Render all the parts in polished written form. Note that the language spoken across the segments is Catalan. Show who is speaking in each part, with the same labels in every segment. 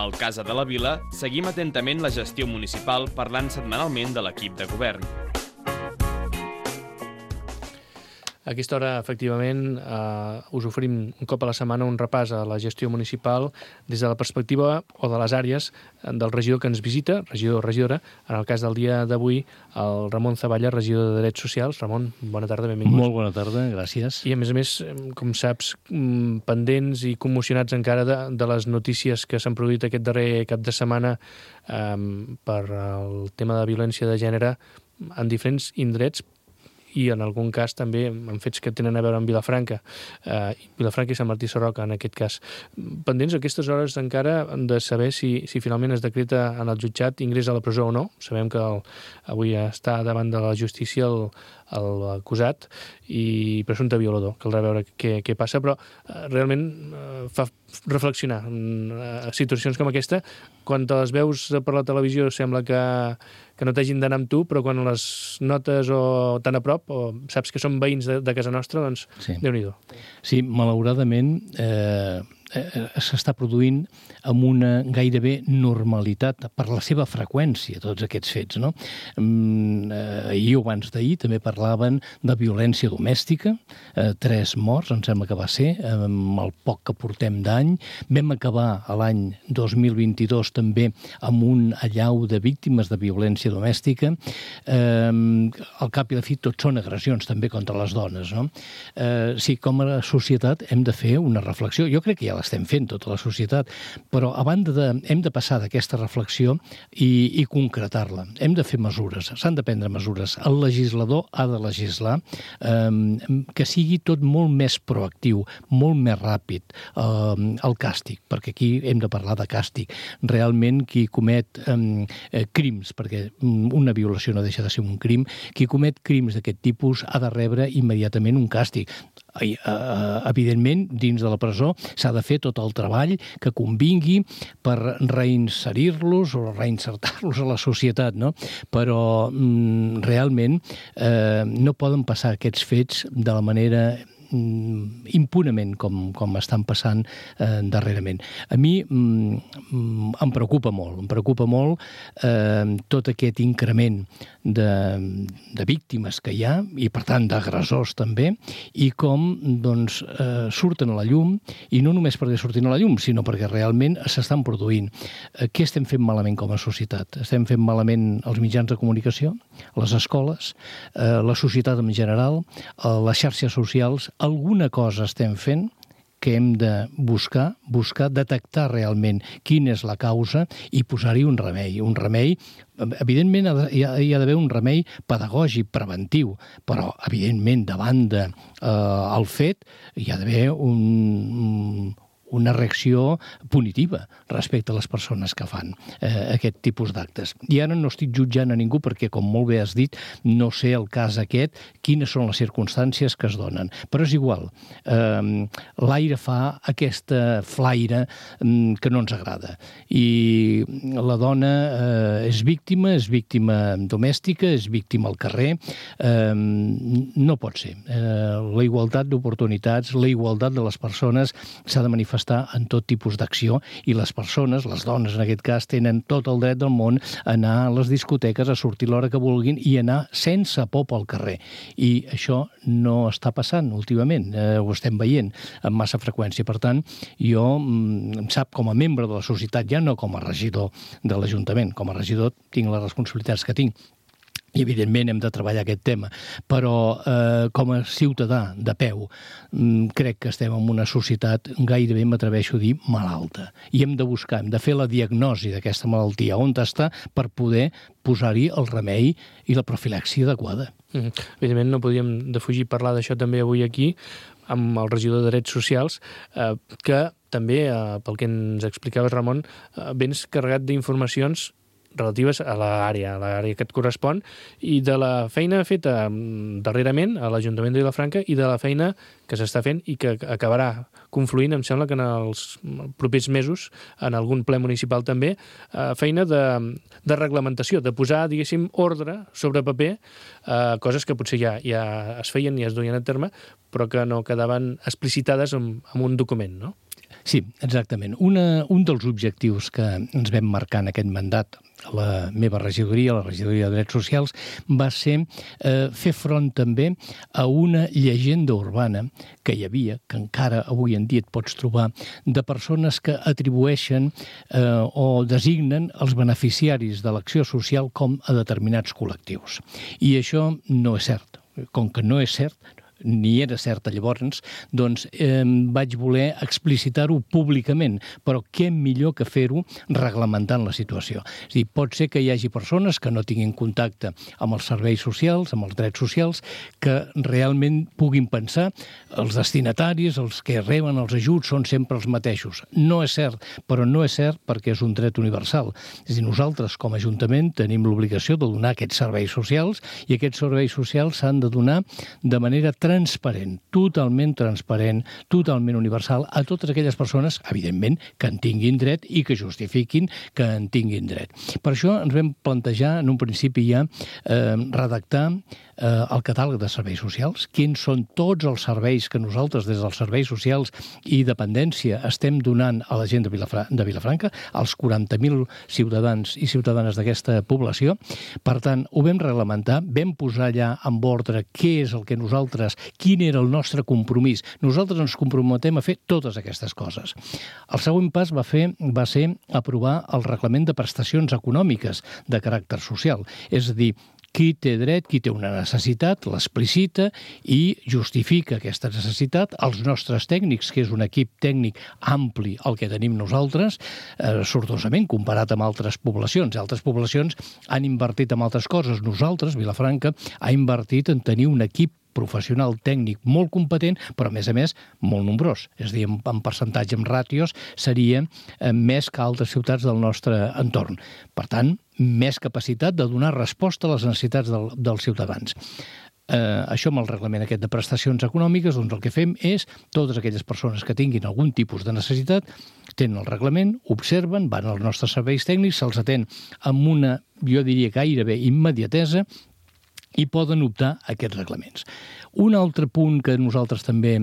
Speaker 1: Al Casa de la Vila seguim atentament la gestió municipal parlant setmanalment de l'equip de govern.
Speaker 2: A aquesta hora, efectivament, us oferim un cop a la setmana un repàs a la gestió municipal des de la perspectiva o de les àrees del regidor que ens visita, regidor o regidora. En el cas del dia d'avui, el Ramon Zavalla, regidor de Drets Socials. Ramon, bona tarda, benvingut.
Speaker 3: Molt bona tarda, gràcies.
Speaker 2: I a més, com saps, pendents i commocionats encara de les notícies que s'han produït aquest darrer cap de setmana per el tema de violència de gènere en diferents indrets, i en algun cas també en fets que tenen a veure amb Vilafranca i Sant Martí Sarroca, en aquest cas. Pendents aquestes hores encara de saber si finalment es decreta en el jutjat ingrés a la presó o no. Sabem que avui està davant de la justícia l'acusat i presumpte violador. Caldrà veure què passa, però realment fa reflexionar en situacions com aquesta. Quan te les veus per la televisió sembla que no t'hagin d'anar amb tu, però quan les notes o tan a prop, o saps que són veïns de casa nostra, doncs sí. Déu-n'hi-do.
Speaker 3: Sí, malauradament s'està produint amb una gairebé normalitat per la seva freqüència, tots aquests fets, no? Ahir o abans d'ahir també parlaven de violència domèstica, 3 morts, em sembla que va ser, amb el poc que portem d'any. Vam acabar l'any 2022 també amb un allau de víctimes de violència domèstica. Al cap i a la fi tot són agressions també contra les dones, no? Sí, com a societat hem de fer una reflexió. Jo crec que ja l'estem fent, tota la societat, però a banda hem de passar d'aquesta reflexió i concretar-la. Hem de fer mesures, s'han de prendre mesures. El legislador ha de legislar que sigui tot molt més proactiu, molt més ràpid, el càstig, perquè aquí hem de parlar de càstig. Realment qui comet crims, perquè una violació no deixa de ser un crim, qui comet crims d'aquest tipus ha de rebre immediatament un càstig. Evidentment, dins de la presó s'ha de fer tot el treball que convingui per reinserir-los o reinsertar-los a la societat, no? Però realment no poden passar aquests fets de la manera impunament com estan passant darrerament. A mi em preocupa molt tot aquest increment de víctimes que hi ha i per tant d'agressors també, i com doncs surten a la llum, i no només perquè surtin a la llum, sinó perquè realment s'estan produint. Què estem fent malament com a societat? Estem fent malament els mitjans de comunicació, les escoles, la societat en general, les xarxes socials. Alguna cosa estem fent que hem de buscar detectar realment quina és la causa i posar-hi un remei. Evidentment hi ha d'haver un remei pedagògic, preventiu, però evidentment davant del fet hi ha d'haver una reacció punitiva respecte a les persones que fan aquest tipus d'actes. I ara no estic jutjant a ningú perquè, com molt bé has dit, no sé el cas aquest, quines són les circumstàncies que es donen. Però és igual. L'aire fa aquesta flaire que no ens agrada. I la dona és víctima domèstica, és víctima al carrer. No pot ser. La igualtat d'oportunitats, la igualtat de les persones s'ha de manifestar en tot tipus d'acció, i les persones, les dones en aquest cas, tenen tot el dret del món a anar a les discoteques, a sortir l'hora que vulguin i anar sense por pel carrer. I això no està passant últimament, ho estem veient amb massa freqüència. Per tant, jo em sap, com a membre de la societat, ja no com a regidor de l'Ajuntament, com a regidor tinc les responsabilitats que tinc, i evidentment hem de treballar aquest tema, però com a ciutadà de peu crec que estem en una societat gairebé, m'atreveixo a dir, malalta, i hem de buscar, hem de fer la diagnosi d'aquesta malaltia, on està, per poder posar-hi el remei i la profilaxia adequada.
Speaker 2: Evidentment no podíem defugir parlar d'això també avui aquí amb el regidor de Drets Socials, que també, pel que ens explicaves, Ramon, vens carregat d'informacions relatives a l'àrea que et correspon, i de la feina feta darrerament a l'Ajuntament de Vilafranca i de la feina que s'està fent i que acabarà confluint, em sembla que en els propers mesos, en algun ple municipal també, feina de reglamentació, de posar, diguéssim, ordre sobre paper, coses que potser ja es feien i es duien a terme, però que no quedaven explicitades en un document, no?
Speaker 3: Sí, exactament. Un dels objectius que ens vam marcar en aquest mandat, la meva regidoria, la regidoria de Drets Socials, va ser fer front també a una llegenda urbana que hi havia, que encara avui en dia et pots trobar, de persones que atribueixen o designen els beneficiaris de l'acció social com a determinats col·lectius. I això no és cert. Com que no és cert, ni era certa llavors, doncs vaig voler explicitar-ho públicament, però què millor que fer-ho reglamentant la situació. És a dir, pot ser que hi hagi persones que no tinguin contacte amb els serveis socials, amb els drets socials, que realment puguin pensar els destinataris, els que reben els ajuts, són sempre els mateixos. No és cert, però no és cert perquè és un dret universal. És a dir, nosaltres com a Ajuntament tenim l'obligació de donar aquests serveis socials i aquests serveis socials s'han de donar de manera transparent, totalment universal a totes aquelles persones, evidentment, que en tinguin dret i que justifiquin que en tinguin dret. Per això ens vam plantejar en un principi ja redactar el catàleg de serveis socials, quins són tots els serveis que nosaltres des dels serveis socials i dependència estem donant a la gent de Vilafranca, als 40.000 ciutadans i ciutadanes d'aquesta població. Per tant, ho vam reglamentar, vam posar allà en ordre què és el que nosaltres, quin era el nostre compromís. Nosaltres ens comprometem a fer totes aquestes coses. El següent pas va ser aprovar el reglament de prestacions econòmiques de caràcter social, és a dir, qui té dret, qui té una necessitat, l'explicita i justifica aquesta necessitat. Els nostres tècnics, que és un equip tècnic ampli el que tenim nosaltres, sortosament comparat amb altres poblacions. Altres poblacions han invertit en altres coses. Nosaltres, Vilafranca, ha invertit en tenir un equip professional tècnic molt competent, però a més, molt nombrós. És a dir, en percentatge, en ràtios, seria més que altres ciutats del nostre entorn. Per tant, més capacitat de donar resposta a les necessitats dels ciutadans. Això amb el reglament aquest de prestacions econòmiques, doncs el que fem és totes aquelles persones que tinguin algun tipus de necessitat, tenen el reglament, observen, van als nostres serveis tècnics, se'ls atén amb una, jo diria gairebé immediatesa, i poden optar a aquests reglaments. Un altre punt que nosaltres també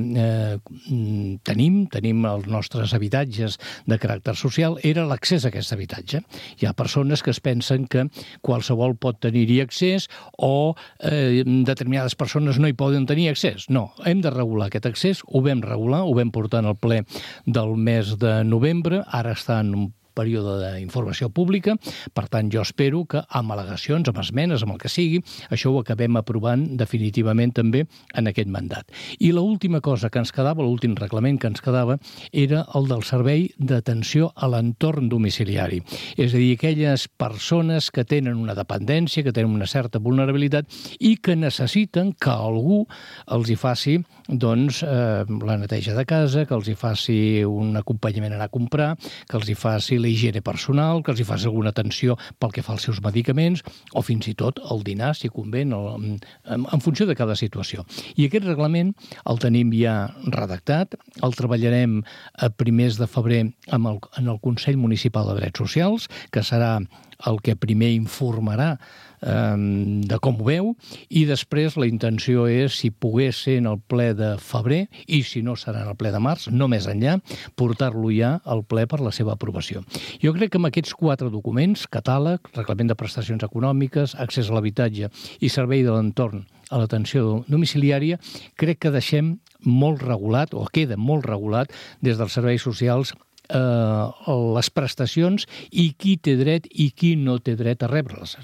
Speaker 3: tenim als nostres habitatges de caràcter social, era l'accés a aquest habitatge. Hi ha persones que es pensen que qualsevol pot tenir-hi accés o determinades persones no hi poden tenir accés. No, hem de regular aquest accés, ho vam regular, ho vam portar en el ple del mes de novembre, ara està en un període d'informació pública, per tant jo espero que amb al·legacions, amb esmenes, amb el que sigui, això ho acabem aprovant definitivament també en aquest mandat. I l'última cosa que ens quedava, l'últim reglament que ens quedava, era el del servei d'atenció a l'entorn domiciliari. És a dir, aquelles persones que tenen una dependència, que tenen una certa vulnerabilitat i que necessiten que algú els hi faci la neteja de casa, que els hi faci un acompanyament a anar a comprar, que els hi faci la higiene personal, que els hi faci alguna atenció pel que fa als seus medicaments o fins i tot el dinar, si convé, en funció de cada situació. I aquest reglament el tenim ja redactat, el treballarem a primers de febrer en el Consell Municipal de Drets Socials, que serà el que primer informarà de com ho veu, i després la intenció és, si pogués ser en el ple de febrer, i si no serà en el ple de març, no més enllà, portar-lo ja al ple per la seva aprovació. Jo crec que amb aquests 4 documents, catàleg, reglament de prestacions econòmiques, accés a l'habitatge i servei de l'entorn a l'atenció domiciliària, crec que deixem molt regulat, o queda molt regulat, des dels serveis socials, les prestacions i qui té dret i qui no té dret a rebre-les.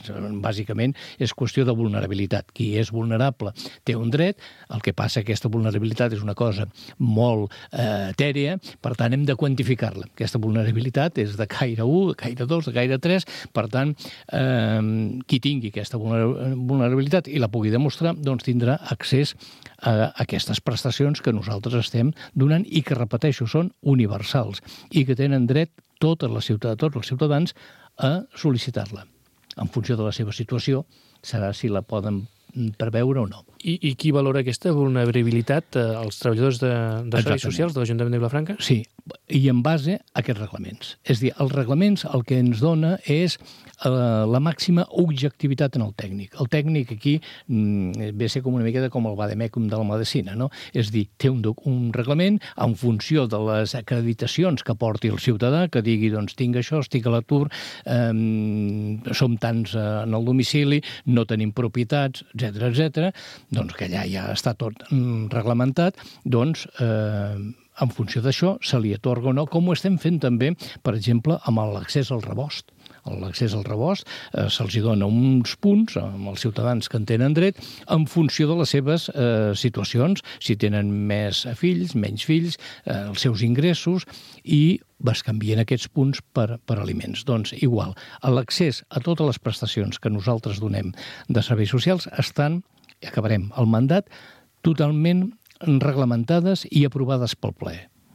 Speaker 3: Bàsicament és qüestió de vulnerabilitat. Qui és vulnerable té un dret, el que passa que aquesta vulnerabilitat és una cosa molt etèrea, per tant hem de quantificar-la. Aquesta vulnerabilitat és de caire 1, de caire 2, de caire 3, per tant qui tingui aquesta vulnerabilitat i la pugui demostrar, doncs tindrà accés a aquestes prestacions que nosaltres estem donant i que, repeteixo, són universals i que tenen dret tots els ciutadans a sol·licitar-la. En funció de la seva situació serà si la poden per veure o no.
Speaker 2: I qui valora aquesta vulnerabilitat? Els treballadors de serveis socials de l'Ajuntament de Vilafranca?
Speaker 3: Sí, i en base a aquests reglaments. És a dir, els reglaments el que ens dona és la màxima objectivitat en el tècnic. El tècnic aquí ve a ser com una miqueta com el vademecum de la medicina, no? És a dir, té un reglament en funció de les acreditacions que porti el ciutadà, que digui, doncs, tinc això, estic a l'atur, som tants en el domicili, no tenim propietats, etc. Doncs que allà ja està tot reglamentat, doncs en funció d'això se li atorga o no, com ho estem fent també, per exemple, amb l'accés al rebost. L'accés al rebost se'ls dona uns punts als ciutadans que en tenen dret en funció de les seves situacions, si tenen més fills, menys fills, els seus ingressos, i bescanvien aquests punts per aliments. Doncs igual, l'accés a totes les prestacions que nosaltres donem de serveis socials estan, i acabarem el mandat, totalment reglamentades i aprovades pel ple,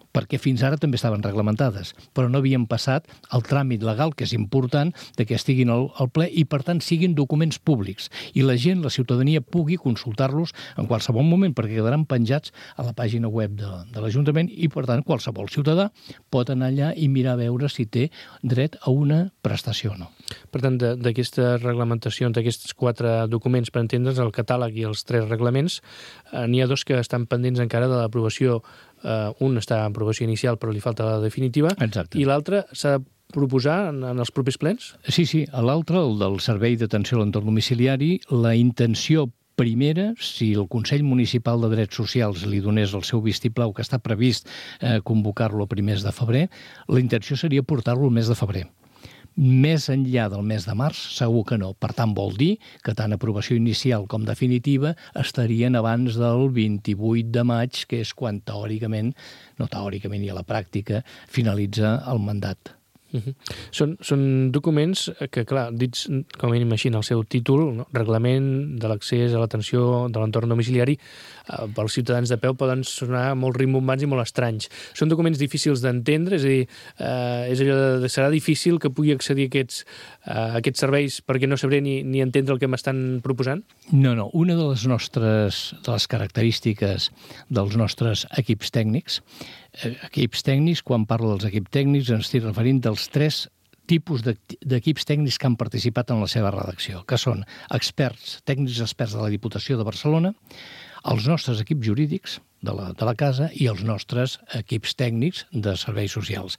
Speaker 3: perquè fins ara també estaven reglamentades, però no havien passat el tràmit legal, que és important, de que estiguin al ple i, per tant, siguin documents públics. I la gent, la ciutadania, pugui consultar-los en qualsevol moment, perquè quedaran penjats a la pàgina web de l'Ajuntament i, per tant, qualsevol ciutadà pot anar allà i mirar a veure si té dret a una prestació o no.
Speaker 2: Per tant, d'aquestes reglamentacions, d'aquests 4 documents, per entendre's, el catàleg i els 3 reglaments, n'hi ha 2 que estan pendents encara de l'aprovació. Un està en aprovació inicial, però li falta la definitiva.
Speaker 3: Exacte.
Speaker 2: I l'altre s'ha de proposar en els propers plens?
Speaker 3: Sí. A l'altre, el del Servei d'Atenció a l'Entorn Domiciliari, la intenció primera, si el Consell Municipal de Drets Socials li donés el seu vistiplau, que està previst convocar-lo a primers de febrer, la intenció seria portar-lo al mes de febrer. Més enllà del mes de març, segur que no. Per tant, vol dir que tant aprovació inicial com definitiva estarien abans del 28 de maig, que és quan teòricament, no teòricament i a la pràctica, finalitza el mandat.
Speaker 2: Són documents que, clar, dits com a mínim així en el seu títol, no? Reglament de l'accés a l'atenció de l'entorn domiciliari, pels ciutadans de peu poden sonar molt rimbombants i molt estranys. Són documents difícils d'entendre, és a dir, serà difícil que pugui accedir a aquests serveis perquè no sabré ni entendre el que m'estan proposant?
Speaker 3: No. Una de les característiques dels nostres equips tècnics, quan parlo dels equips tècnics ens estic referint dels 3 tipus d'equips tècnics que han participat en la seva redacció, que són tècnics experts de la Diputació de Barcelona, els nostres equips jurídics de la casa i els nostres equips tècnics de serveis socials.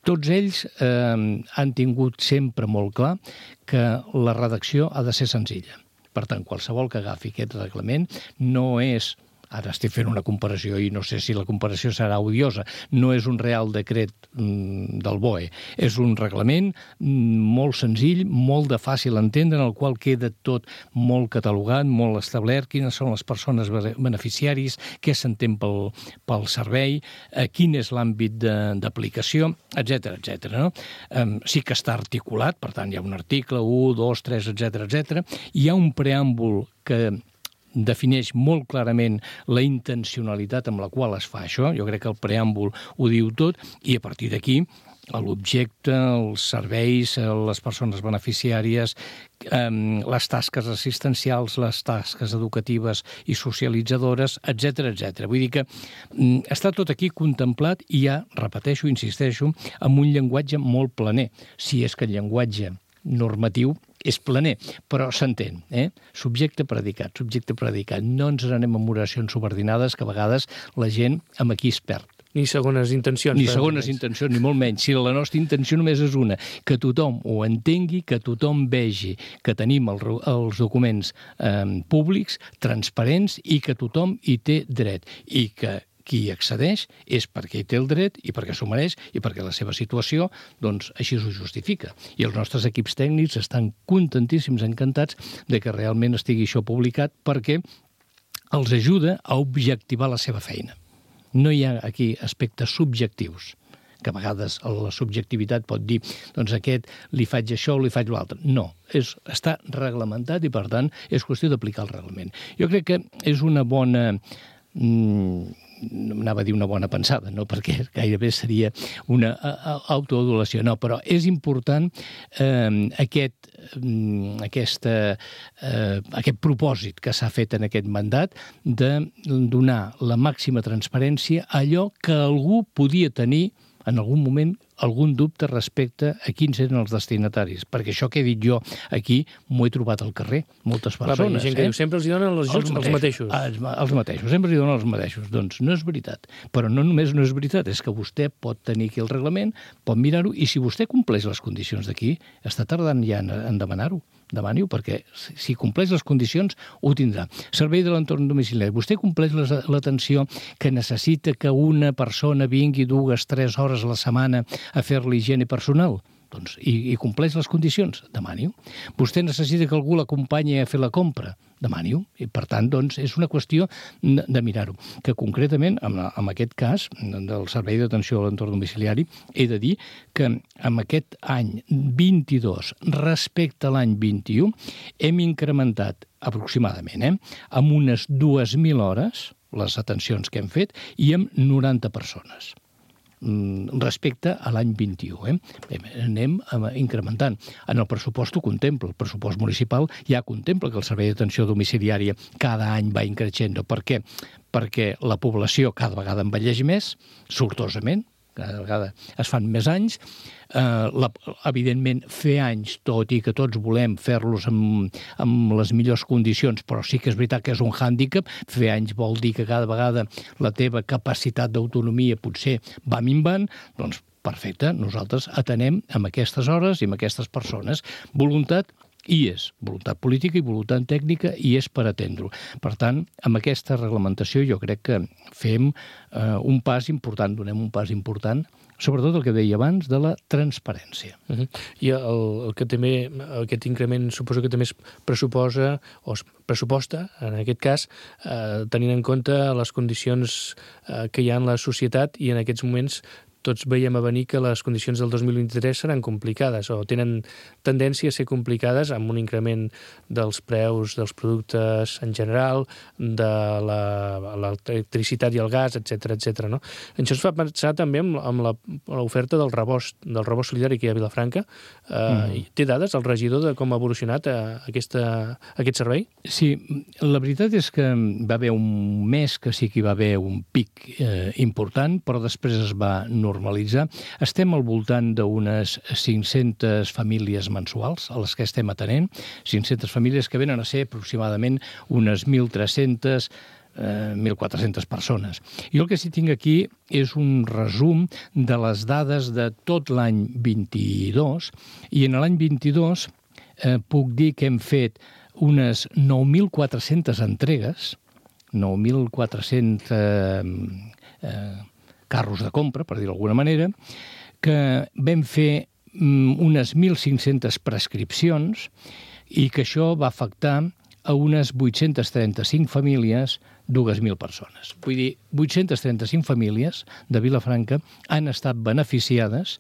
Speaker 3: Tots ells han tingut sempre molt clar que la redacció ha de ser senzilla. Per tant, qualsevol que agafi aquest reglament no és... Ara estic fent una comparació i no sé si la comparació serà odiosa. No és un Real Decret del BOE. És un reglament molt senzill, molt de fàcil entendre, en el qual queda tot molt catalogat, molt establert, quines són les persones beneficiaris, què s'entén pel servei, quin és l'àmbit d'aplicació, etc. No? Sí que està articulat, per tant, hi ha un article, 1, 2, 3, etc. Hi ha un preàmbul que defineix molt clarament la intencionalitat amb la qual es fa això. Jo crec que el preàmbul ho diu tot, i a partir d'aquí l'objecte, els serveis, les persones beneficiàries, les tasques assistencials, les tasques educatives i socialitzadores, etc. Vull dir que està tot aquí contemplat i ja, repeteixo, insisteixo, amb un llenguatge molt planer, si és que el llenguatge normatiu és planer, però s'entén, subjecte-predicat. No ens anem amb oracions subordinades, que a vegades la gent amb aquí es perd.
Speaker 2: Ni segones intencions.
Speaker 3: Ni molt menys. Si la nostra intenció només és una, que tothom ho entengui, que tothom vegi que tenim els documents públics, transparents, i que tothom hi té dret, i que qui accedeix és perquè hi té el dret i perquè s'ho mereix i perquè la seva situació, doncs, així ho justifica. I els nostres equips tècnics estan contentíssims, encantats de que realment estigui això publicat, perquè els ajuda a objectivar la seva feina. No hi ha aquí aspectes subjectius, que a vegades la subjectivitat pot dir, doncs aquest li faig això o li faig l'altre. No, està reglamentat i, per tant, és qüestió d'aplicar el reglament. Jo crec que és una bona anava a dir una bona pensada, no? Perquè gairebé seria una autoadulació, no, però és important aquest propòsit que s'ha fet en aquest mandat de donar la màxima transparència a allò que algú podia tenir en algun moment algun dubte respecte a quins eren els destinataris. Perquè això que he dit jo aquí m'ho he trobat al carrer, moltes persones.
Speaker 2: Clar, hi ha gent que diu, sempre els donen els ajuts els mateixos.
Speaker 3: Els mateixos, sempre els donen els mateixos. Doncs no és veritat. Però no només no és veritat, és que vostè pot tenir aquí el reglament, pot mirar-ho, i si vostè compleix les condicions d'aquí, està tardant ja en demanar-ho. Demani-ho, perquè si compleix les condicions ho tindrà. Servei de l'entorn domiciliari. Vostè compleix l'atenció que necessita que una persona vingui 2-3 hores a la setmana a fer l'higiene personal? Doncs, i compleix les condicions? Demani-ho. Vostè necessita que algú l'acompanyi a fer la compra? Demani-ho. I, per tant, doncs, és una qüestió de mirar-ho. Que, concretament, en aquest cas del Servei d'Atenció a l'Entorn Domiciliari, he de dir que en aquest any 22 respecte a l'any 21 hem incrementat aproximadament amb unes 2.000 hores les atencions que hem fet i amb 90 persones respecte a l'any 21. Anem incrementant. En el pressupost ho contempla. El pressupost municipal ja contempla que el servei d'atenció domiciliària cada any va increixent. Per què? Perquè la població cada vegada envelleix més, sortosament, cada vegada es fan més anys. Evidentment, fer anys, tot i que tots volem fer-los amb les millors condicions, però sí que és veritat que és un hàndicap. Fer anys vol dir que cada vegada la teva capacitat d'autonomia potser va minvant. Doncs perfecte, nosaltres atenem amb aquestes hores i amb aquestes persones. Voluntat hi és, voluntat política i voluntat tècnica hi és per atendre-ho. Per tant, amb aquesta reglamentació jo crec que fem un pas important, donem un pas important, sobretot el que deia abans, de la transparència.
Speaker 2: I el que també, aquest increment suposo que també es pressuposa, o es pressuposta, en aquest cas, tenint en compte les condicions que hi ha en la societat, i en aquests moments tots veiem a venir que les condicions del 2023 seran complicades o tenen tendència a ser complicades amb un increment dels preus dels productes en general, de l'electricitat i el gas, etc etc. No? Això ens fa pensar també amb l'oferta del rebost solidari que hi ha a Vilafranca. Té dades el regidor de com ha evolucionat aquest servei?
Speaker 3: Sí, la veritat és que va haver un mes que sí que hi va haver un pic important, però després es va normalitzar. Estem al voltant d'unes 500 famílies mensuals a les que estem atenent, 500 famílies que venen a ser aproximadament unes 1.300 1.400 persones. Jo el que sí tinc aquí és un resum de les dades de tot l'any 22, i en l'any 22 puc dir que hem fet unes 9.400 entregues, 9.400 carros de compra, per dir-ho d'alguna manera, que vam fer unes 1.500 prescripcions i que això va afectar a unes 835 famílies, 2.000 persones. Vull dir, 835 famílies de Vilafranca han estat beneficiades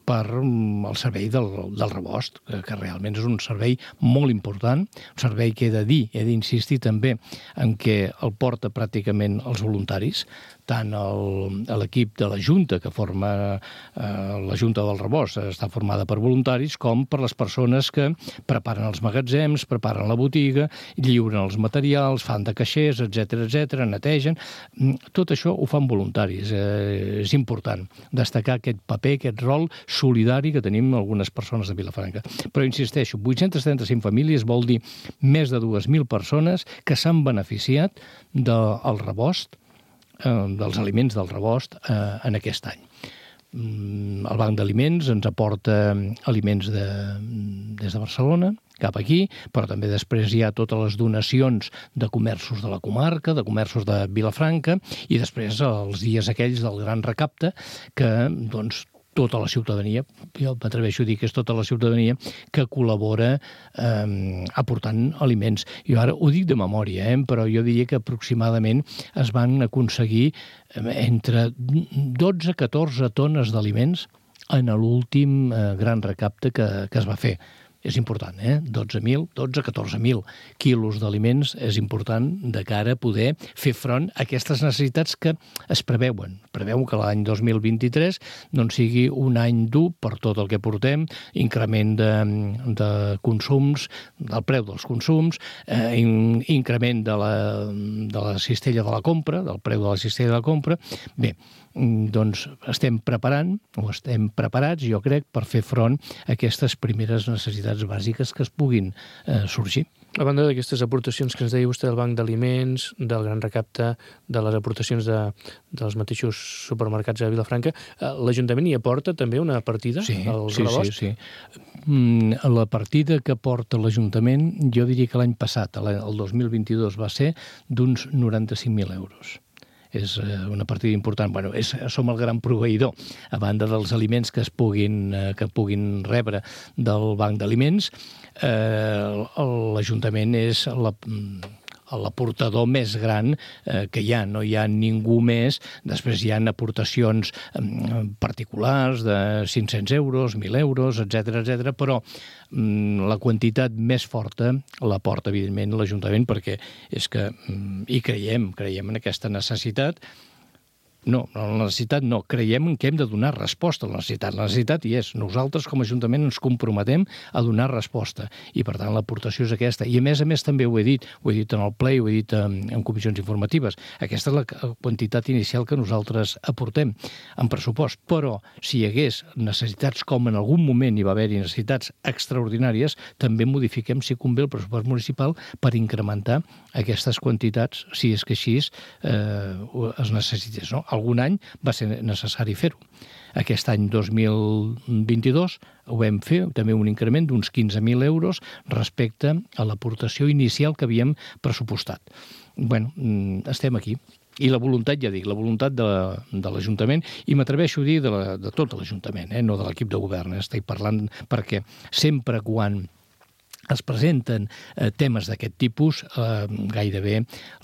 Speaker 3: per el servei del rebost, que realment és un servei molt important, un servei que he de dir, he d'insistir també en què el porta pràcticament els voluntaris, tant l'equip de la Junta, que forma la Junta del Rebost, està formada per voluntaris, com per les persones que preparen els magatzems, preparen la botiga, lliuren els materials, fan de caixers, etc, netegen. Tot això ho fan voluntaris. És important destacar aquest paper, aquest rol solidari que tenim algunes persones de Vilafranca. Però insisteixo, 835 famílies vol dir més de 2.000 persones que s'han beneficiat del rebost, dels aliments del rebost en aquest any. El Banc d'Aliments ens aporta aliments des de Barcelona cap aquí, però també després hi ha totes les donacions de comerços de la comarca, de comerços de Vilafranca, i després els dies aquells del gran recapte que, doncs, tota la ciutadania, jo m'atreveixo a dir que és tota la ciutadania que col·labora aportant aliments. Jo ara ho dic de memòria, però jo diria que aproximadament es van aconseguir entre 12 a 14 tones d'aliments en l'últim gran recapte que es va fer. és important, 14.000 quilos d'aliments és important de cara a poder fer front a aquestes necessitats que es preveuen. Preveuen que l'any 2023 doncs sigui un any dur per tot el que portem, increment de consums, del preu dels consums, increment de la cistella de la compra, del preu de la cistella de la compra. Bé, doncs estem preparats, jo crec, per fer front a aquestes primeres necessitats bàsiques que es puguin sorgir.
Speaker 2: A banda d'aquestes aportacions que ens deia vostè del Banc d'Aliments, del Gran Recapte, de les aportacions dels mateixos supermercats a Vilafranca, l'Ajuntament hi aporta també una partida als rebosts?
Speaker 3: Sí. La partida que aporta l'Ajuntament, jo diria que l'any passat, el 2022, va ser d'uns 95.000 euros. És una partida important. Som el gran proveïdor, a banda dels aliments que puguin rebre del Banc d'Aliments. L'Ajuntament és l'aportador més gran que hi ha. No hi ha ningú més. Després hi ha aportacions particulars de 500 euros, 1.000 euros, etc., però la quantitat més forta l'aporta, evidentment, l'Ajuntament, perquè és que hi creiem en aquesta necessitat. Creiem que hem de donar resposta a la necessitat. La necessitat hi és. Nosaltres, com a Ajuntament, ens comprometem a donar resposta. I, per tant, l'aportació és aquesta. I, a més també ho he dit en el ple, ho he dit en comissions informatives. Aquesta és la quantitat inicial que nosaltres aportem en pressupost. Però, si hi hagués necessitats, com en algun moment hi va haver-hi necessitats extraordinàries, també modifiquem, si convé, el pressupost municipal per incrementar aquestes quantitats, si és que així es necessités, no? Algun any va ser necessari fer-ho. Aquest any 2022 ho vam fer, també un increment d'uns 15.000 euros respecte a l'aportació inicial que havíem pressupostat. Estem aquí. I la voluntat, ja dic, la voluntat de l'Ajuntament, i m'atreveixo a dir de tot l'Ajuntament, no de l'equip de govern. Estic parlant perquè sempre quan es presenten temes d'aquest tipus, gairebé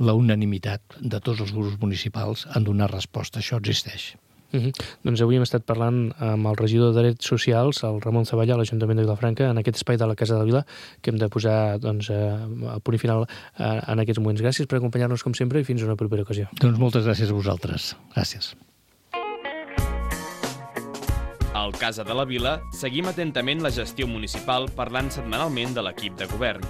Speaker 3: la unanimitat de tots els grups municipals en donar resposta. Això existeix.
Speaker 2: Doncs avui hem estat parlant amb el regidor de Drets Socials, el Ramon Zavalla, a l'Ajuntament de Vilafranca, en aquest espai de la Casa de la Vila, que hem de posar el punt final en aquests moments. Gràcies per acompanyar-nos com sempre i fins a una propera ocasió.
Speaker 3: Doncs moltes gràcies a vosaltres. Gràcies.
Speaker 1: Al Casa de la Vila seguim atentament la gestió municipal parlant setmanalment de l'equip de govern.